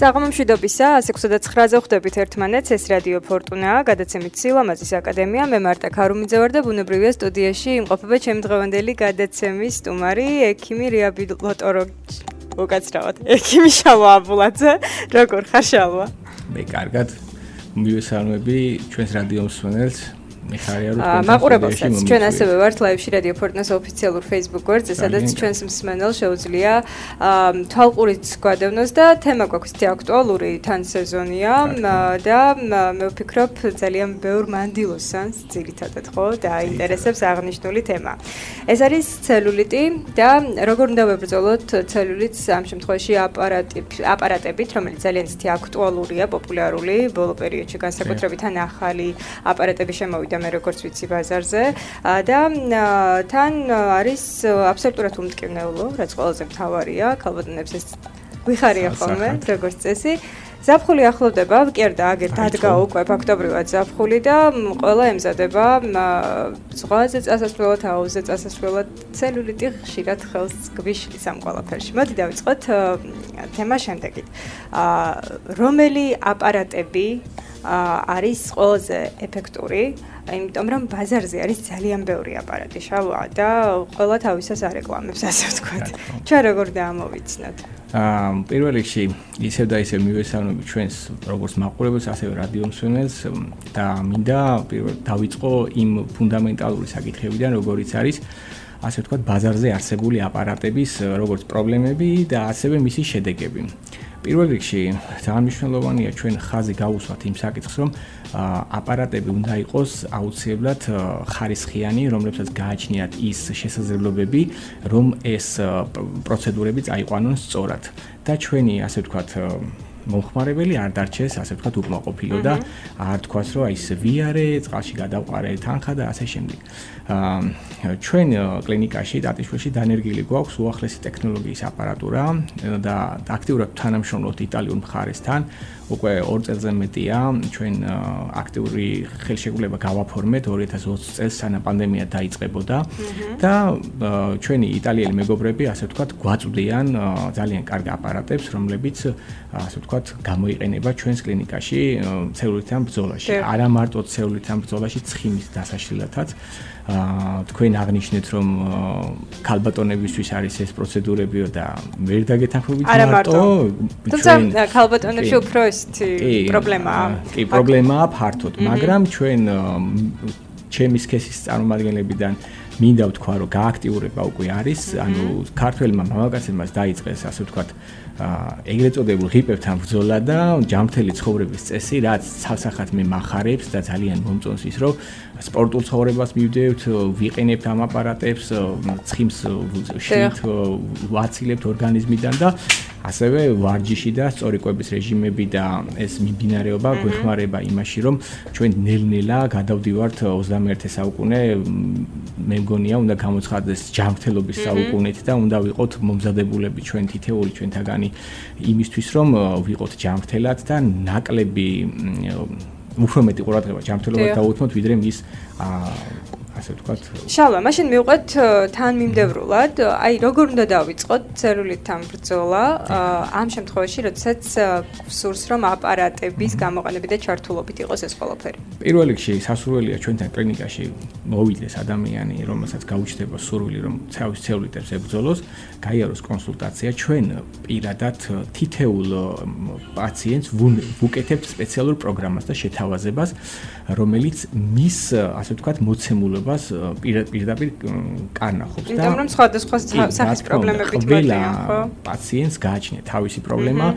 საღამომშვიდობისა, 6:09-ზე ხვდებით ერთმანეთს, ეს რადიო ფორტუნაა, გადაცემით სილამაზის აკადემია, მე მარტა ქარუმიძე ვარ და ბუნებრივია სტუდიაში იმყოფება ჩემი დღევანდელი გადაცემის სტუმარი, ექიმი რეაბილიტოლოგი, უკაცრავად, ექიმი შალვა აბულაძე, როგორ ხარ შალვა? მე კარგად, მივესალმები ჩვენს რადიო მსმენელს. მაყურებელსაც ჩვენ ასევე ვართ ლაივში რადიო ფორტუნას ოფიციალურ Facebook გვერდზე, სადაც ჩვენს მსმენელს შეუძლია თვალყურით გვადევნოს და თემა გვაქვს თი აქტუალური თან სეზონია და მე ვფიქრობ ძალიან ბევრ მანდილოსანს ძირითადად ხო და აინტერესებს აღნიშნული თემა. ეს არის ცელულიტი და როგორ უნდა ვებრძოლოთ ცელულიტს ამ შემთხვევაში აპარატებით, რომელიც ძალიან ცივი აქტუალურია, პოპულარული ბოლო პერიოდში განსაკუთრებით ან ახალი აპარატები შემოვიდა მე როგორც ვიცი ბაზარზე და თან არის აბსოლუტურად უმტკივნეულო, რაც ყველაზე მთავარია, ქალბატონებს ეს გვიხარია ხოლმე, როგორც წესი. ზაფხული ახლოვდება, კი არა და აგერ დადგა უკვე ფაქტობრივად ზაფხული და ყველა ემზადება ზღვაზე წასასვლელად, აუზზე წასასვლელად, ცელულიტი ხშირად ხელს გვიშლის ამ ყველაფერში. მოდი დავიწყოთ თემა შემდეგით. რომელი აპარატები არის ყველაზე ეფექტური, იმიტომ რომ ბაზარზე არის ძალიან ბევრი აპარატი შალვა და ყველა თავისას არეკლამებს, ასე ვთქვათ. ჩვენ როგორ დაამოვიცნოთ? პირველ რიგში ისევ და ისევ მივესალმები ჩვენს როგორც მაყურებელს, ასევე რადიო მსმენელს და მინდა პირველ დავიწყო იმ ფუნდამენტალური საკითხებიდან, როგორიც არის ასე ვთქვათ ბაზარზე არსებული აპარატების როგორც პრობლემები და ასევე მისი შედეგები. პირველ რიგში ძალიან მნიშვნელოვანია ჩვენ ხაზი გავუსვათ იმ საკითხს, რომ აპარატები უნდა იყოს აუცილებლად ხარისხიანი, რომლებსაც გააჩნიათ ის შესაძლებლობები, რომ ეს პროცედურები წაიყვანონ სწორად. და ჩვენი ასე ვთქვათ მომხმარებელი არ დარჩეს ასე ვთქვათ უკმაყოფილო და არ თქვას რომ აი ეს ვიარე, წყალში გადავყარე თანხა და ასე შემდეგ. ჩვენ კლინიკაში ტატიშვილში დანერგილი გვაქვს უახლესი ტექნოლოგიის აპარატურა და აქტიურად თანამშრომლობთ იტალიურ მხარესთან. უკვე 2 წელზე მეტია ჩვენ აქტიური ხელშეკრულება გავაფორმეთ 2020 წელს სანამ პანდემია დაიწყებოდა და ჩვენი იტალიელი მეგობრები ასე ვთქვათ გვაწვდიან ძალიან კარგ აპარატებს, რომლებიც ასე ვთქვათ გამოიყენება ჩვენს კლინიკაში ცელულიტთან ბრძოლაში. არა მარტო ცელულიტთან ბრძოლაში, ცხიმის დასაშლელათაც. თქვენ აღნიშნეთ რომ ქალბატონებისთვის არის ეს პროცედურებიო და ვერ დაგეთანხმებით მარტო თუმცა ქალბატონებში უფრო ესეთი პრობლემაა. კი, პრობლემაა ფართოდ, მაგრამ ჩვენ ჩემი სქესის წარმომადგენლებიდან მინდა ვთქვა რომ გააქტიურება უკვე არის, ანუ ქართველმა მამაკაცებმა დაიწყეს ასე ვთქვათ ეგრეთ წოდებულ ღიპებთან ბრძოლა და ჯანმრთელი ცხოვრების წესი, რაც ცალსახად მე მახარებს და ძალიან მომწონს ის, რომ სპორტულ ცხოვრებას მივდივართ, ვიყენებთ ამ აპარატებს, ცხიმს შევით, ვაცილებთ ორგანიზმიდან და ასევე ვარჯიში და სწორი კვების რეჟიმები და ეს მიმდინარეობა გვეხმარება იმაში, რომ ჩვენ ნელ-ნელა გადავდივართ 21 საუკუნე, მე მგონია უნდა გამოცხადდეს ჯანმრთელობის საუკუნით და უნდა ვიყოთ მომზადებულები ჩვენ თითეული ჩვენთაგანი იმისთვის, რომ ვიყოთ ჯანმრთელად და ნაკლები უფრო მეტი ყურადღება ჯანმრთელობაზე დავუთმოთ, ვიდრე მის ასე ვთქვათ. შალვა, მაშინ მივყვეთ თანმიმდევრულად, აი როგორ უნდა დავიწყოთ ცელულიტთან ბრძოლა ამ შემთხვევაში, როდესაც სურს რომ აპარატების გამოყენებით და ჩართულობით იყოს ეს ყველაფერი. პირველ რიგში სასურველია ჩვენთან კლინიკაში მოვიდეს ადამიანი, რომელსაც გაუჩნდება სურვილი რომ თავის ცელულიტებს ებრძოლოს, გაიაროს კონსულტაცია, ჩვენ პირადად თითეულ პაციენტს ვუკეთებთ სპეციალურ პროგრამას და შეთავაზებას, რომელიც მის ასე ვთქვათ მოცემულობას პირდაპირ კარნახობს და იმიტომ რომ სხვადასხვა სახის პრობლემებით მოდიან, ხო? პაციენტს გააჩნია თავისი პრობლემა,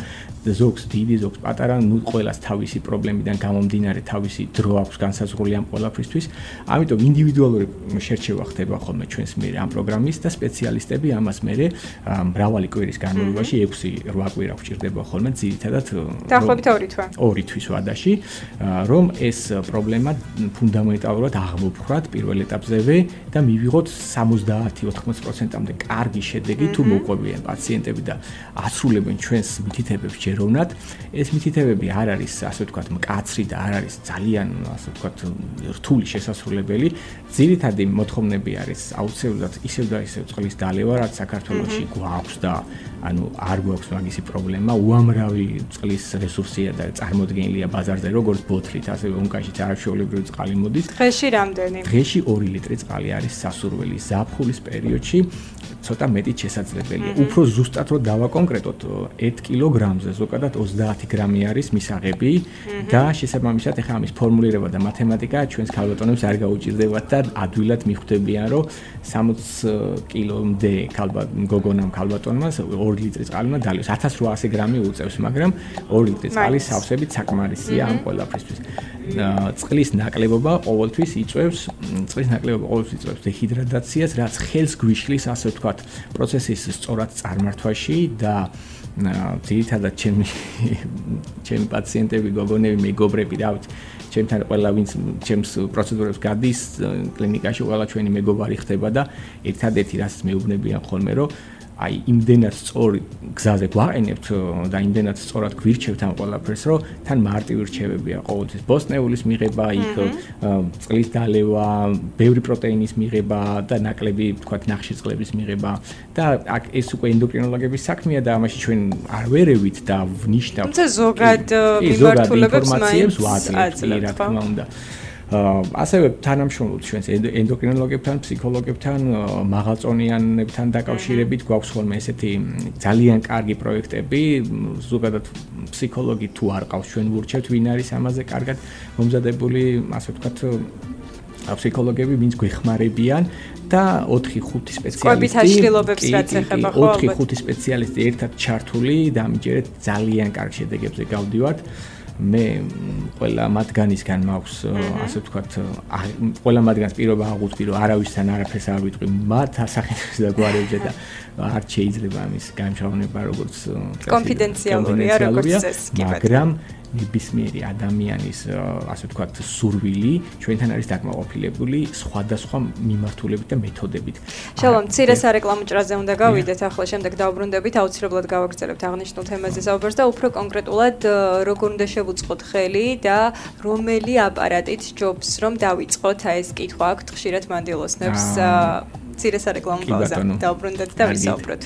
ზოგს დიდი, ზოგს პატარა, ნუ ყველას თავისი პრობლემიდან გამომდინარე თავისი დრო აქვს განსაზღვრული ამ ყველაფრისთვის. ამიტომ ინდივიდუალური შერჩევა ხდება ხოლმე ჩვენს მიერ ამ პროგრამის და სპეციალისტები ამას მერე მრავალი კვირის განმავლობაში 6-8 კვირა გვჭირდება ხოლმე ძირითადად დაახლოებით 2 თვე. 2 თვის ვადაში, რომ ეს პრობლემა ფუნდამენტალურად აღმოფხრათ პირველ ეტაპზევე და მივიღოთ 70-80%-მდე კარგი შედეგი თუ მოყვებიან პაციენტები და ასრულებენ ჩვენს მითითებებს ჯეროვნად. ეს მითითებები არ არის ასე ვთქვათ მკაცრი და არ არის ძალიან ასე ვთქვათ რთული შესასრულებელი. ძირითადი მოთხოვნები არის აუცილებლად ისევ და ისევ წყლის დალევა, რაც საქართველოში გვაქვს და ანუ არ გვაქვს მაგისი პრობლემა, უამრავი წყლის რესურსია და წარმოდგენილია ბაზარზე, როგორც ბოთლით, ასევე უნკაშიც არაჩვეულებრივი წყალი მოდის. დღეში რამდენი? დღეში 2 ლიტრი წყალი არის სასურველი ზაფხულის პერიოდში. ცოტა მეტი შესაძლებელია. უფრო ზუსტად რომ დავაკონკრეტოთ 1 კილოგრამზე ზოგადად 30 გრამი არის მისაღები და შესაბამისად ახლა ამის ფორმულირება და მათემატიკა ჩვენს ქალბატონებს არ გაუჭირდებათ და ადვილად მიხვდებიან რომ 60 კილომდე გოგონამ ქალბატონმა 2 ლიტრი წყალი უნდა დალიოს 1800 გრამი უწევს, მაგრამ 2 ლიტრი წყალი სავსებით საკმარისია ამ ყველაფრისთვის. წყლის ნაკლებობა ყოველთვის იწვევს დეჰიდრატაციას, რაც ხელს გვიშლის, ასე ვთქვათ, პროცესის სწორად წარმართვაში და ძირითადად ჩემი პაციენტები, გოგონები, მეგობრები, ჩემთან ყველა ვინც ჩემს პროცედურებს გადის კლინიკაში, ყველა ჩვენი მეგობარი ხდება და ერთადერთი რაც მეუბნებიან ხოლმე რომ აი იმდენად სწორი გზაზე გვაყენებთ და იმდენად სწორად გვირჩევთ ამ ყველაფერს, რომ თან მარტივი რჩევებია ყოველთვის ბოსტნეულის მიღება, იქ წყლის დალევა, ბევრი პროტეინის მიღება და ნაკლები, თქვათ, ნახშირწყლების მიღება და აქ ეს უკვე ენდოკრინოლოგების საქმეა და ამაში ჩვენ არ ვერევით და ვნიშნავთ. თუმცა ზოგად მიმართულებებს ინფორმაციებს ვაძლევთ, რა თქმა უნდა. ასევე თანამშრომლობთ ჩვენს ენდოკრინოლოგებთან, ფსიქოლოგებთან, მაღალწონიანებთან დაკავშირებით გვაქვს ხოლმე ესეთი ძალიან კარგი პროექტები, ზოგადად ფსიქოლოგი თუ არ ყავს ჩვენ ვურჩევთ, ვინ არის ამაზე კარგად მომზადებული, ასე ვთქვათ, ფსიქოლოგები, ვინც გვეხმარებიან და 4-5 სპეციალისტი 4-5 სპეციალისტი ერთად ჩართული და ამჯერად ძალიან კარგ შედეგებზე გავდივართ. მე ყველა მათგანისგან მაქვს ასე ვთქვათ, ყველა მათგანს პირობა აღვწვი, რომ არავისთან არაფერს არ ვიტყვი, მათ ასახინებს და გვარებზე და არ შეიძლება ამის გამჟღავნება როგორც კონფიდენციალურია, როგორც წესი, მაგრამ ნებისმიერი ადამიანის ასე ვთქვათ სურვილი ჩვენთან არის დაკმაყოფილებული სხვადასხვა მიმართულებით და მეთოდებით. შალომ, მცირე სარეკლამო ჭრაზე უნდა გავიდეთ, ახლა შემდეგ დავბრუნდებით, აუცილებლად გავაგრძელებთ აღნიშნულ თემაზე საუბარს და უფრო კონკრეტულად როგორ უნდა შევუწყოთ ხელი და რომელი აპარატით ჯობს რომ დავიწყოთ ეს კითხვა აქვთ ხშირად მანდილოსნებს. მცირე სარეკლამო პაუზა. დავბრუნდეთ და ვისაუბროთ.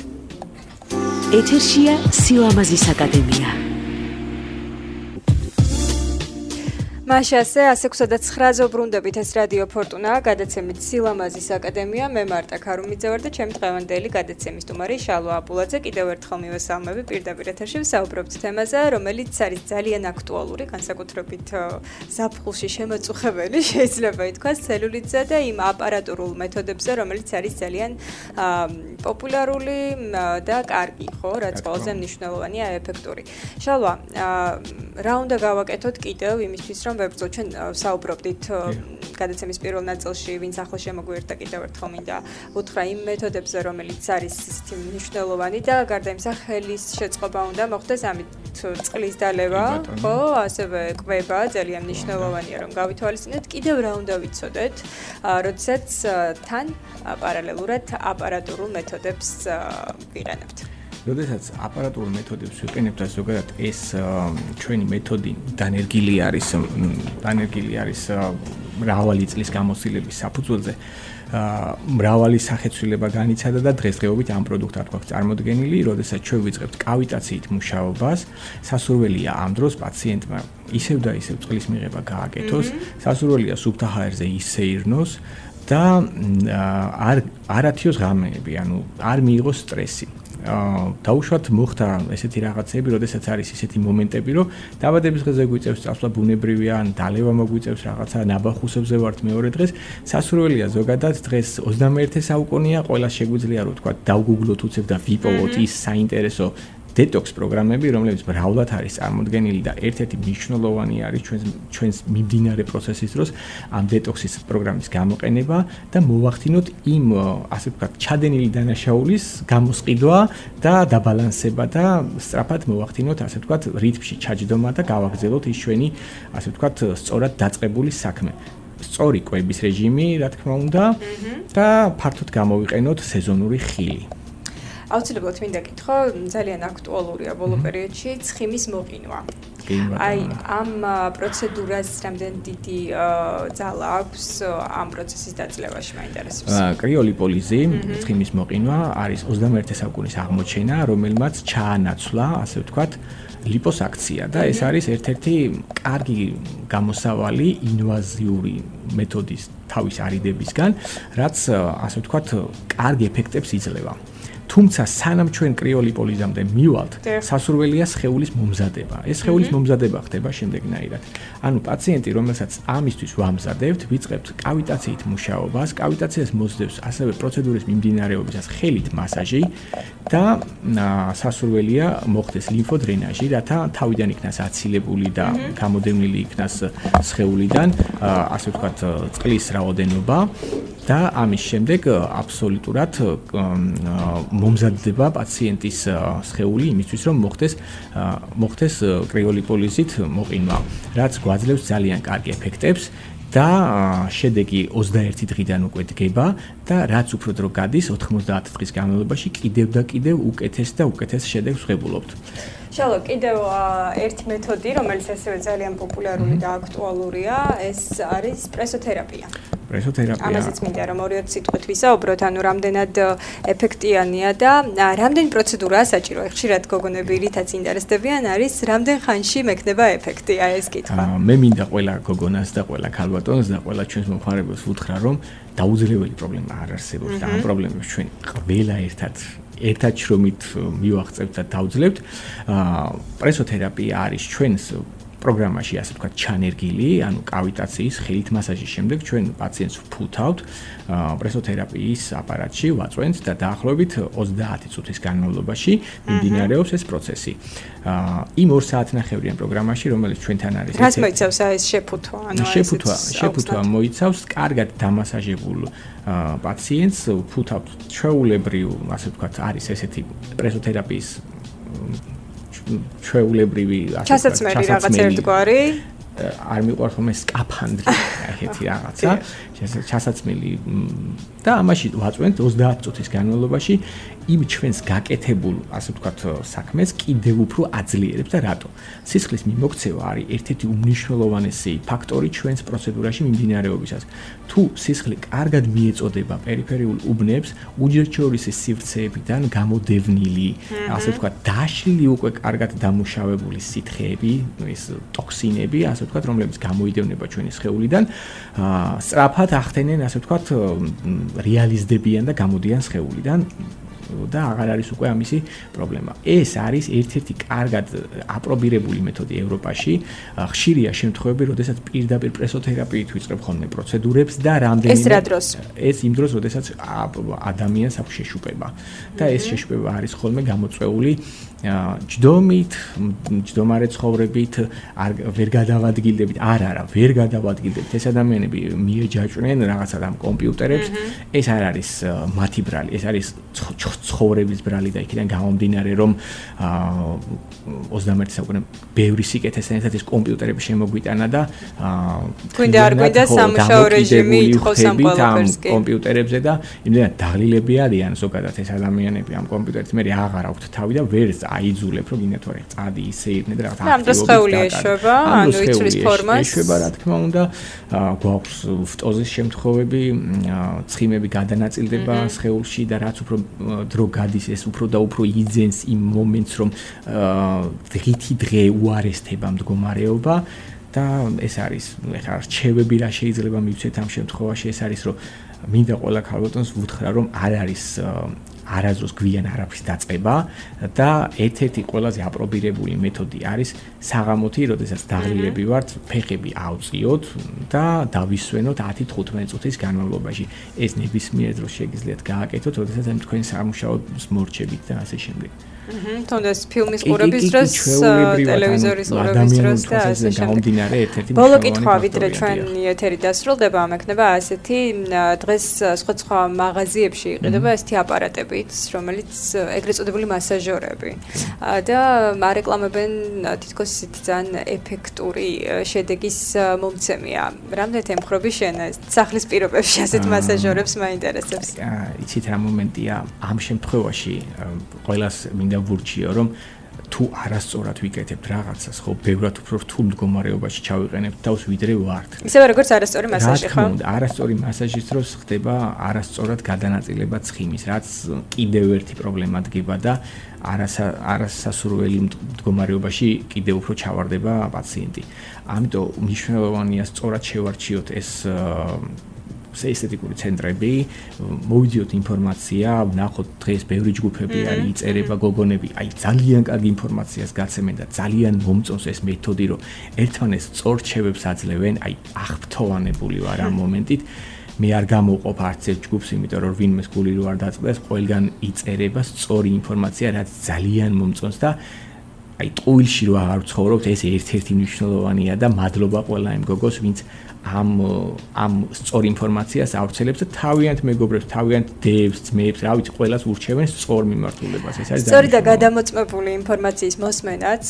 ეთერშია სილამაზის აკადემია. მაშასე 109-ზე ვბრუნდებით, ეს რადიო ფორტუნა, გადაცემით სილამაზის აკადემია, მე მარტა ქარუმიძე ვარ და ჩემი დღევანდელი გადაცემის სტუმარი შალვა აბულაძე. კიდევ ერთხელ მივესალმები პირდაპირ ეთერში, ვსაუბრობთ თემაზე, რომელიც არის ძალიან აქტუალური, განსაკუთრებით ზაფხულში შემაწუხებელი, შეიძლება ითქვას, ცელულიტზე და იმ აპარატურულ მეთოდებზე, რომელიც არის ძალიან პოპულარული და კარგი, ხო, რაც ყველაზე მნიშვნელოვანია, ეფექტური. შალვა, რა უნდა გავაკეთოთ კიდევ იმისთვის, რომ ვებრძოთ, ჩვენ საუბრობდით გადაცემის პირველ ნაწილში, ვინც ახლა შემოგვიერთდა კიდევ ერთხელ მინდა უთხრა იმ მეთოდებზე, რომელიც არის ისეთი მნიშვნელოვანი და გარდა იმისა, ხელის შეწყობა უნდა მოხდეს, ამით წყლის დალევა, ხო, ასევე კვება ძალიან მნიშვნელოვანია, რომ გავითვალისწინოთ. კიდევ რა უნდა ვიცოდეთ, როდესაც თან პარალელურად აპარატურულ მეთოდებს ვიყენებთ. როდესაც აპარატურულ მეთოდებს ვიყენებთ, ზოგადად ეს ჩვენი მეთოდი დანერგილი არის მრავალი წლის გამოცდილების საფუძველზე. მრავალი სახეცვლილება განიცადა და დღესდღეობით ამ პროდუქტად გვაქვს წარმოდგენილი, როდესაც ჩვენ ვიწყებთ კავიტაციით მუშაობას, სასურველია ამ დროს პაციენტმა ისევ და ისევ წყლის მიღება გააკეთოს, სასურველია სუფთა ჰაერზე ისეირნოს და არათიოს ღამეები, ანუ არ მიიღოს სტრესი. დაუშვათ მოხდა ესეთი რაღაცები, როდესაც არის ისეთი მომენტები, რომ დაბადების დღეზე გვიწევს წასვლა ბუნებრივია, ან დალევა მოგვიწევს რაღაცა, ნაბახუსებზე ვართ მეორე დღეს, სასურველია ზოგადად დღეს 21 საუკუნეა, ყველას შეგვიძლია რომ თქვა დავგუგლოთ უცებ და ვიპოვოთ ის საინტერესო დეტოქს პროგრამები, რომლებიც მრავლად არის წარმოდგენილი და ერთ-ერთი მნიშვნელოვანი არის ჩვენს მიმდინარე პროცესის დროს ამ დეტოქსის პროგრამის გამოყენება და მოვახდინოთ იმ ასე ვთქვათ ჩადენილი დანაშაულის გამოსყიდვა და დაბალანსება და სწრაფად მოვახდინოთ ასე ვთქვათ რიტმში ჩაჯდომა და გავაგრძელოთ ის ჩვენი ასე ვთქვათ სწორად დაწყებული საქმე. სწორი კვების რეჟიმი, რა თქმა უნდა, და ფართოდ გამოვიყენოთ სეზონური ხილი. აუცილებლად მინდა გითხრა, ძალიან აქტუალურია ბოლო პერიოდში ცხიმის მოყინვა. აი, ამ პროცედურას რამდენ დიდი ძალა აქვს ამ პროცესის დაძლევაში მაინტერესებს. კრიოლიპოლიზი, ცხიმის მოყინვა არის 21 საუკუნის აღმოჩენა, რომელმაც ჩაანაცვლა, ასე ვთქვათ, ლიპოსაქცია და ეს არის ერთ-ერთი კარგი გამოსავალი ინვაზიური მეთოდის თავის არიდებისგან, რაც ასე ვთქვათ, კარგი ეფექტებს იძლევა. თუმცა სანამ ჩვენ კრიოლიპოლიზამდე მივალთ, სასურველია სხეულის მომზადება. ეს სხეულის მომზადება ხდება შემდეგნაირად. ანუ პაციენტი, რომელსაც ამისთვის ვამზადებთ, ვიწყებთ კავიტაციით მუშაობას, კავიტაციას მოსდევს ასევე პროცედურის მიმდინარეობისას ხელით მასაჟი და სასურველია მოხდეს ლიმფოდრენაჟი, რათა თავიდან იქნას აცილებული და გამოდევნილი იქნას სხეულიდან, ასე ვთქვათ, წყლის რაოდენობა და ამის შემდეგ აბსოლუტურად მომზადდება პაციენტის სხეული იმისთვის, რომ მოხდეს კრიოლიპოლიზით მოყინვა, რაც გვაძლევს ძალიან კარგი ეფექტებს და შედეგი 21 დღიდან უკვე დგება და რაც უფრო დრო გადის 90 დღის განმავლობაში კიდევ და კიდევ უკეთეს და უკეთეს შედეგს ვღებულობთ. შალო, კიდევ ერთი მეთოდი, რომელიც ასევე ძალიან პოპულარული და აქტუალურია, ეს არის პრესოთერაპია. ამაზეც მინდა რომ ორი სიტყვით ვისაუბროთ, ანუ რამდენად ეფექტიანია და რამდენი პროცედურაა საჭირო. ხშირად გოგონები რითაც ინტერესდებიან არის რამდენ ხანში მექნება ეფექტი, აი ეს კითხვა. მე მინდა ყველა გოგონას და ყველა ქალბატონს და ყველა ჩვენს მომხმარებელს ვუთხრა, რომ დაუძლეველი პრობლემა არ არსებობს და ამ პრობლემებს ჩვენ ყველა ერთად შრომით მივაღწევთ და დავძლებთ. პრესოთერაპია არის ჩვენს პროგრამაში, ასე ვთქვათ, ჩანერგილი, ანუ კავიტაციის ხელით მასაჟის შემდეგ ჩვენ პაციენტს ვფუთავთ პრესოთერაპიის აპარატში, ვაწვენთ და დაახლოებით 30 წუთის განმავლობაში მიმდინარეობს ეს პროცესი. იმ 2 საათნახევრიან პროგრამაში, რომელიც ჩვენთან არის. რას მოიცავს ეს შეფუთვა? ანუ შეფუთვა მოიცავს კარგად დამასაჟებულ პაციენტს, ვფუთავთ ჩვეულებრივ, ასე ვთქვათ, არის ესეთი პრესოთერაპიის ჩვეულებრივი ჩასაცმელი რაღაც ერთგვარი არ მიყვარს ხოლმე სკაფანდრი ეგეთი რაღაცა ჩასაცმელი და ამაში ვაწვენთ 30 წუთის განმავლობაში იმ ჩვენს გაკეთებულ ასე ვთქვათ საქმეს კიდევ უფრო აძლიერებს და რატო? სისხლის მიმოქცევა არის ერთ-ერთი უმნიშვნელოვანესი ფაქტორი ჩვენს პროცედურაში მიმდინარეობისას. თუ სისხლი კარგად მიეწოდება პერიფერიულ უბნებს, უჯრედშორის სივრცეებიდან გამოდევნილი, ასე ვთქვათ, დაშლილი უკვე კარგად დამუშავებული სითხეები, ეს ტოქსინები, ასე ვთქვათ, რომლებიც გამოიდევნება ჩვენი სხეულიდან, სწრაფად ახდენენ, ასე ვთქვათ, რეალიზდებიან და გამოდიან სხეულიდან. და აღარ არის უკვე ამისი პრობლემა. ეს არის ერთ-ერთი კარგად აპრობირებული მეთოდი ევროპაში. ხშირია შემთხვევები, როდესაც პირდაპირ პრესოთერაპიით ვიწყებ ხოლმე პროცედურებს და რამდენიმე ეს რა დროს? ეს იმ დროს, როდესაც ადამიანს აქვს შეშუპება. და ეს შეშუპება არის ხოლმე გამოწვეული ჯდომით, ჯდომარე ცხოვრებით, ვერ გადავადგილდებით, არა, ვერ გადავადგილდებით. ეს ადამიანები მიეჯაჭვნენ რაღაცა ამ კომპიუტერებს. ეს არ არის მათი ბრალი, ეს არის ცხოვრების ბრალი და იქიდან გამომდინარე, რომ 21 საუკუნე ბევრი სიკეთესთან ერთად ეს კომპიუტერები შემოგვიტანა და გვინდა არ გვინდა სამუშაო რეჟიმი ითხოვს ამ ყველაფერს კი კომპიუტერებზე და იმდენად დაღლილები არიან ზოგადად ეს ადამიანები ამ კომპიუტერით მე აღარ აქვთ თავი და ვერ აიძულებ რომ გინდათ ვარ წადი ისე ირნე და რაღაცა აქტივობები ეშვება, ანუ იცვლის ფორმას ეშვება რა თქმა უნდა, გვაქვს ფტოზის შემთხვევები, ცხიმები გადანაწილდება სხეულში და რაც უფრო დრო გადის ეს უფრო და უფრო იძენს იმ მომენტს რომ დღითი დღე უარესდება მდგომარეობა და ეს არის ეხლა რჩევები რა შეიძლება მივცეთ ამ შემთხვევაში ეს არის რომ მინდა ყველა ქალბატონს ვუთხრა რომ არ არის არაზრუს გვიან არაფრის დაწყება და ერთ-ერთი ყველაზე აპრობირებული მეთოდი არის საღამოთი, როდესაც დაღლილები ვართ, ფეხები ავწიოთ და დავისვენოთ 10-15 წუთის განმავლობაში. ეს ნებისმიერ დროს შეგიძლიათ გააკეთოთ, როდესაც ამ თქვენ სამუშაოს მორჩებით და ასე შემდეგ. თუნდაც ფილმის ყურების დროს, ტელევიზორის ყურების დროს და ასე შემდეგ. ბოლო კითხვა, ვიდრე ჩვენი ეთერი დასრულდება, ამ ექნება ასეთი დღეს სხვა მაღაზიებში იყიდება ასეთი აპარატებით, რომელიც ეგრეთ წოდებული მასაჟორები და არეკლამებენ თითქოს ისეთი ძალიან ეფექტური შედეგის მომცემია. რამდენად ემხრობი შენ სახლის პირობებში ასეთ მასაჟორებს მაინტერესებს? იცით რა მომენტია ამ შემთხვევაში ყველას მინდა ვურჩიო რომ თუ არასწორად ვიკეთებთ რაღაცას, ხო, ბევრად უფრო რთულ მდგომარეობაში ჩავიყენებთ თავს ვიდრე ვართ. ისევე როგორც არასწორი მასაჟი, ხო? არასწორი მასაჟის დროს ხდება არასწორად გადანაწილება ცხიმის, რაც კიდევ ერთი პრობლემა დგება და არასასურველი მდგომარეობაში კიდევ უფრო ჩავარდება პაციენტი. ამიტომ მნიშვნელოვანია სწორად შევარჩიოთ ეს ესთეტიკური ცენტრები, მოვიდიოთ ინფორმაცია, ვნახოთ დღეს ბევრი ჯგუფები არის, იწერება გოგონები, აი ძალიან კარგი ინფორმაციას გაცემენ და ძალიან მომწონს ეს მეთოდი, რომ ერთმანეთს სწორ რჩევებს აძლევენ, აი აღფრთოვანებული ვარ ამ მომენტით. მე არ გამოვყოფ არც ერთ ჯგუფს, იმიტომ რომ ვინმეს გული რო არ დაწყდეს, ყველგან იწერება სწორი ინფორმაცია, რაც ძალიან მომწონს და აი ტყუილში რო აღარ ვცხოვრობთ, ეს ერთ-ერთი მნიშვნელოვანია და მადლობა ყველა იმ გოგოს, ვინც ამ სწორ ინფორმაციას ავრცელებს და თავიანთ მეგობრებს, თავიანთ დევს, ძმებს, რა ვიცი, ყველას ურჩევენ სწორ მიმართულებას. ეს არის სწორი და გადამოწმებული ინფორმაციის მოსმენაც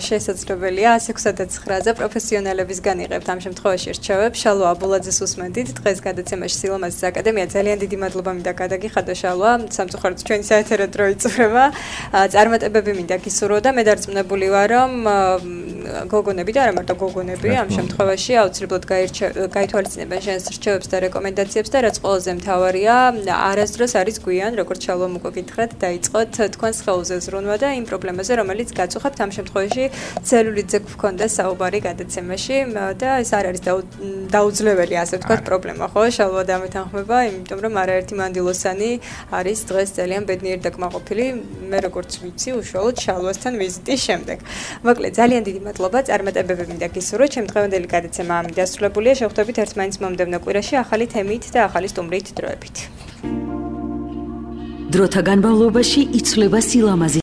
შესაძლებელია 169-ზე პროფესიონალებისგან იღებთ ამ შემთხვევაში რჩევებს. შალვა აბულაძეს უსმენდით დღეს გადაცემაში სილამაზის აკადემია. ძალიან დიდი მადლობა მინდა გადაგიხადო შალვა. სამწუხაროდ ჩვენი საეთერო დრო იწურება. წარმატებები მინდა გისურვო და მე დარწმუნებული ვარ, რომ გოგონები და არა მარტო გოგონები ამ შემთხვევაში აუცილებლად გაითვალისწინებენ შენს რჩევებს და რეკომენდაციებს და რაც ყველაზე მთავარია, არასდროს არის გვიან, როგორც შალვამ უკვე გითხრათ, დაიწყოთ თქვენ სხეულზე ზრუნვა და იმ პრობლემაზე, რომელიც გაწუხებთ ამ შემთხვევაში ცელულიტზე გვქონდა საუბარი გადაცემაში და ეს არ არის დაუძლეველი, ასე ვთქვათ, პრობლემა, ხო? შალვა დამეთანხმება, იმიტომ რომ არაერთი მანდილოსანი არის დღეს ძალიან ბედნიერი და კმაყოფილი, მე როგორც ვიცი, უშუალოდ შალვასთან ვიზიტის შემდეგ. მოკლედ, ძალიან დიდი მადლობა, წარმატებები მინდა გისურვოთ. ჩემ დღევანდელი გადაცემა ამით დასრულებულია. შევხვდებით ერთმანეთს მომდევნო კვირაში ახალი თემით და ახალი სტუმრით დროებით. დროთა განმავლობაში იცვლება სილამაზი